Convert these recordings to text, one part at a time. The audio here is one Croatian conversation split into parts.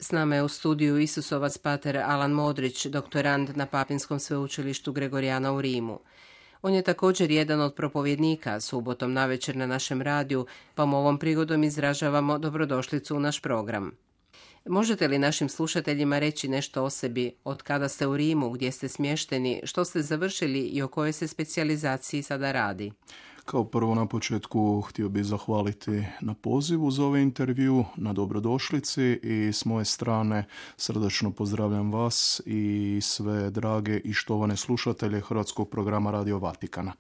S nama je u studiju Isusovac pater Alan Modrić, doktorand na Papinskom sveučilištu Gregorijana u Rimu. On je također jedan od propovjednika subotom navečer na našem radiju, pa mu ovom prigodom izražavamo dobrodošlicu u naš program. Možete li našim slušateljima reći nešto o sebi, od kada ste u Rimu, gdje ste smješteni, što ste završili i o kojoj se specijalizaciji sada radi? Kao prvo na početku htio bih zahvaliti na pozivu za ovaj intervju, na dobrodošlici i s moje strane srdačno pozdravljam vas i sve drage i štovane slušatelje hrvatskog programa Radio Vatikana.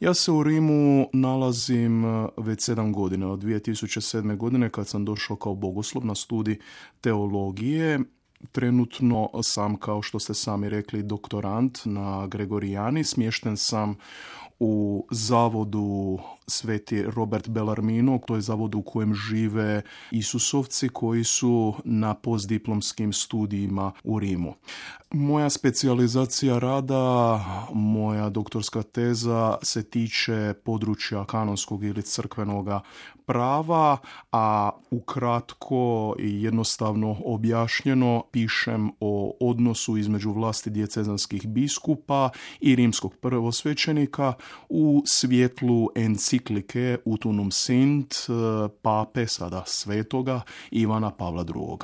Ja se u Rimu nalazim već 7 godina, od 2007. godine kad sam došao kao bogoslov na studij teologije. Trenutno sam, kao što ste sami rekli, doktorant na Gregorijani. Smješten sam u zavodu Sveti Robert Bellarmino, to je zavod u kojem žive Isusovci koji su na postdiplomskim studijima u Rimu. Moja specijalizacija rada, moja doktorska teza se tiče područja kanonskog ili crkvenog prava, a ukratko i jednostavno objašnjeno pišem o odnosu između vlasti dijecezanskih biskupa i rimskog prvosvećenika u svjetlu enciklike Utunum Sint pape, sada svetoga, Ivana Pavla II.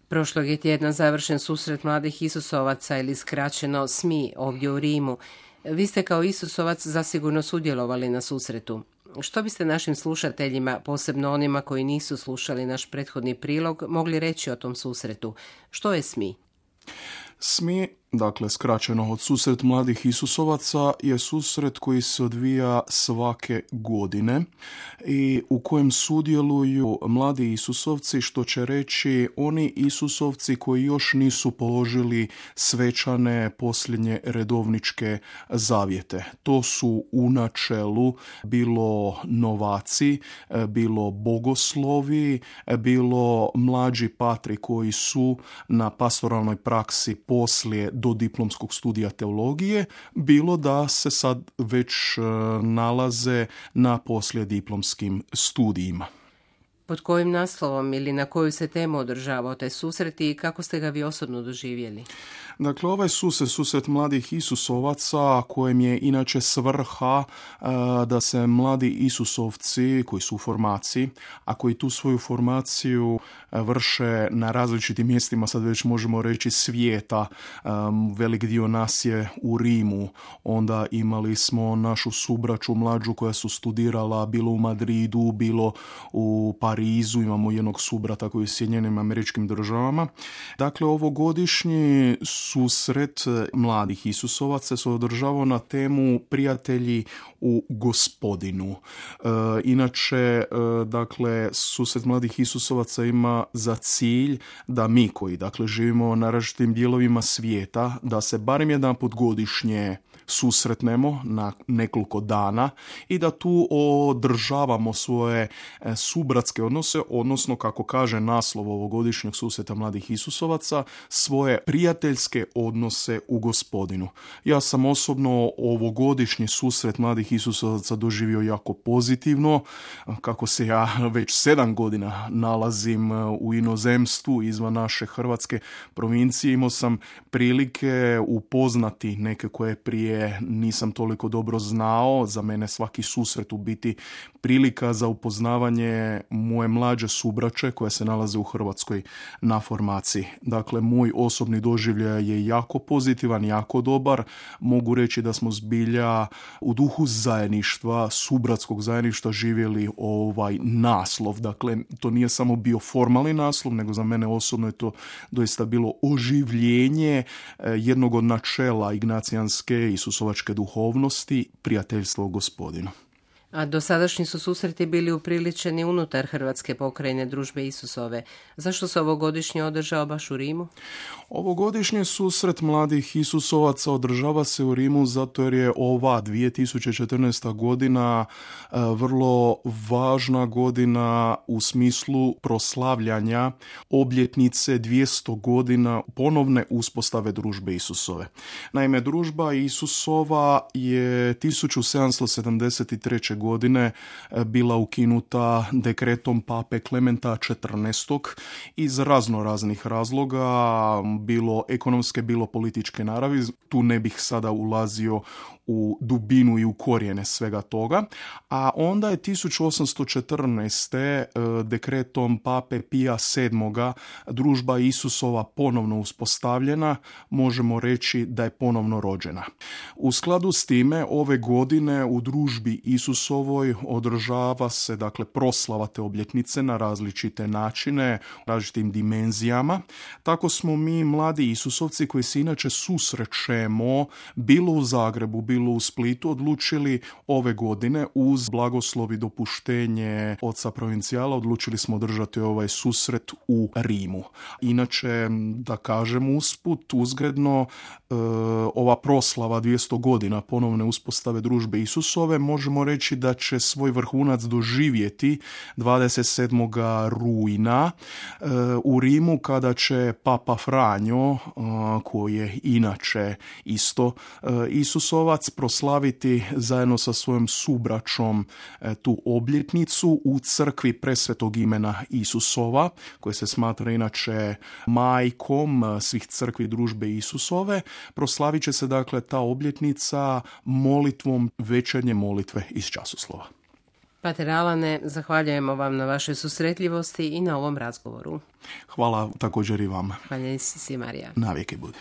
Prošlog je tjedna završen susret mladih Isusovaca ili skraćeno SMI ovdje u Rimu. Vi ste kao Isusovac zasigurno sudjelovali na susretu. Što biste našim slušateljima, posebno onima koji nisu slušali naš prethodni prilog, mogli reći o tom susretu? Što je SMI? SMI, dakle skraćeno od susret mladih Isusovaca, je susret koji se odvija svake godine i u kojem sudjeluju mladi Isusovci, što će reći oni Isusovci koji još nisu položili svečane posljednje redovničke zavjete. To su u načelu bilo novaci, bilo bogoslovi, bilo mlađi patri koji su na pastoralnoj praksi poslije do diplomskog studija teologije, bilo da se sad već nalaze na poslijediplomskim studijima. Pod kojim naslovom ili na koju se temu održavao taj susret i kako ste ga vi osobno doživjeli? Dakle, ovaj susret mladih Isusovaca, kojem je inače svrha da se mladi Isusovci koji su u formaciji, a koji tu svoju formaciju vrše na različitim mjestima, sad već možemo reći svijeta. Velik dio nas je u Rimu, onda imali smo našu subraću mlađu koja su studirala bilo u Madridu, bilo u Parizu, imamo jednog subrata koji je u Sjedinjenim Američkim Državama. Dakle, ovogodišnji susret mladih Isusovaca se održavao na temu Prijatelji u Gospodinu. Inače, dakle, susret mladih Isusovaca ima za cilj da mi koji, dakle, živimo na različitim dijelovima svijeta, da se barem jedanput godišnje susretnemo na nekoliko dana i da tu održavamo svoje subratske odnose, odnosno, kako kaže naslov ovogodišnjeg susreta mladih Isusovaca, svoje prijateljske odnose u Gospodinu. Ja sam osobno ovogodišnji susret mladih Isusovaca doživio jako pozitivno. Kako se ja već 7 godina nalazim u inozemstvu izvan naše hrvatske provincije, imao sam prilike upoznati neke koje prije nisam toliko dobro znao. Za mene svaki susret u biti prilika za upoznavanje moje mlađe subraće koje se nalaze u Hrvatskoj na formaciji. Dakle, moj osobni doživljaj je jako pozitivan, jako dobar. Mogu reći da smo zbilja u duhu zajedništva, subratskog zajedništva živjeli ovaj naslov. Dakle, to nije samo bio formalni naslov, nego za mene osobno je to doista bilo oživljenje jednog od načela ignacijanske isusovačke duhovnosti, prijateljstvo u Gospodinu. A dosadašnji su susreti bili upriličeni unutar Hrvatske pokrajine Družbe Isusove. Zašto se ovogodišnji održao baš u Rimu? Ovogodišnji susret mladih Isusovaca održava se u Rimu zato jer je ova 2014. godina vrlo važna godina u smislu proslavljanja obljetnice 200 godina ponovne uspostave Družbe Isusove. Naime, Družba Isusova je 1773. godine bila ukinuta dekretom pape Klementa XIV iz raznih razloga, bilo ekonomske, bilo političke naravi. Tu ne bih sada ulazio u dubinu i u korijene svega toga. A onda je 1814. dekretom pape Pija VII. Družba Isusova ponovno uspostavljena, možemo reći da je ponovno rođena. U skladu s time, ove godine u družbi Isusovoj održava se dakle proslava te obljetnice na različite načine, različitim dimenzijama. Tako smo mi, mladi Isusovci koji se inače susrećemo bilo u Zagrebu, bilo u Splitu, odlučili ove godine uz blagoslov i dopuštenje oca provincijala odlučili smo održati ovaj susret u Rimu. Inače, da kažem usput, uzgredno, ova proslava 200 godina ponovne uspostave družbe Isusove možemo reći da će svoj vrhunac doživjeti 27. rujna u Rimu, kada će Papa Franjo, koji je inače isto Isusovac, proslaviti zajedno sa svojom subraćom tu obljetnicu u crkvi Presvetog imena Isusova, koje se smatra inače majkom svih crkvi družbe Isusove. Proslavit će se dakle ta obljetnica molitvom večernje molitve iz časoslova. Pater Alane, zahvaljujemo vam na vašoj susretljivosti i na ovom razgovoru. Hvala također i vama. Hvala si, Marija. Navijeke budi.